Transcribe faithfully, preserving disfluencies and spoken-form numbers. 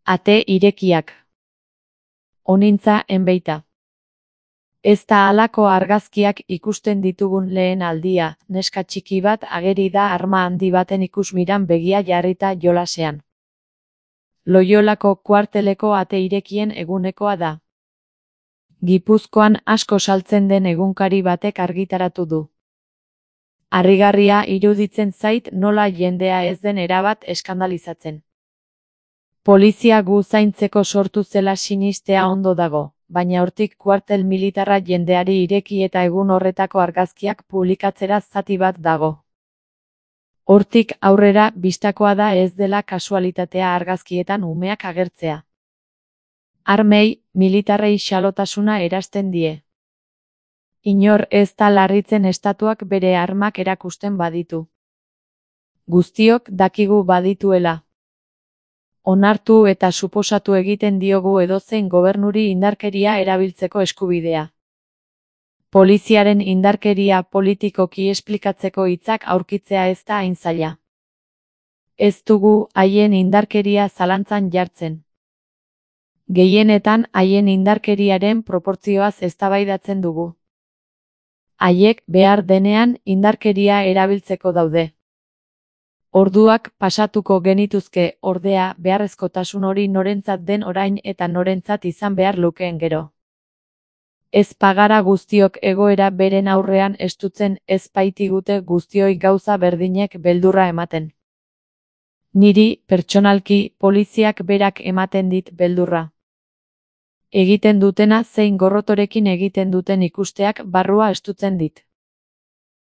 Ate irekiak. Onintza enbeita. Ez da halako argazkiak ikusten ditugun lehen aldia, neska txiki bat ageri da arma handi baten ikusmiran begia jarrita jolasean. Loiolako kuarteleko ate irekien egunekoa da. Gipuzkoan asko saltzen den egunkari batek argitaratu du. Harrigarria iruditzen zait nola jendea ez den erabat eskandalizatzen. Polizia gu zaintzeko sortu zela sinistea ondo dago, baina hortik kuartel militarra jendeari ireki eta egun horretako argazkiak publikatzera zati bat dago. Hortik aurrera bistakoa da ez dela kasualitatea argazkietan umeak agertzea. Armei, militarrei xalotasuna erazten die. Inor ez da larritzen estatuak bere armak erakusten baditu. Guztiok dakigu badituela. Onartu eta suposatu egiten diogu edozein gobernuri indarkeria erabiltzeko eskubidea. Poliziaren indarkeria politikoki esplikatzeko hitzak aurkitzea ez da hain zaila. Ez dugu haien indarkeria zalantzan jartzen. Gehienetan haien indarkeriaren proportzioaz eztabaidatzen dugu. Haiek behar denean indarkeria erabiltzeko daude. Orduak pasatuko genituzke, ordea, beharrezkotasun hori norentzat den orain eta norentzat izan behar lukeen gero. Ez pagara guztiok egoera beren aurrean estutzen, ez baitigute guztioi gauza berdinek beldurra ematen. Niri, pertsonalki, poliziak berak ematen dit beldurra. Egiten dutena zein gorrotorekin egiten duten ikusteak barrua estutzen dit.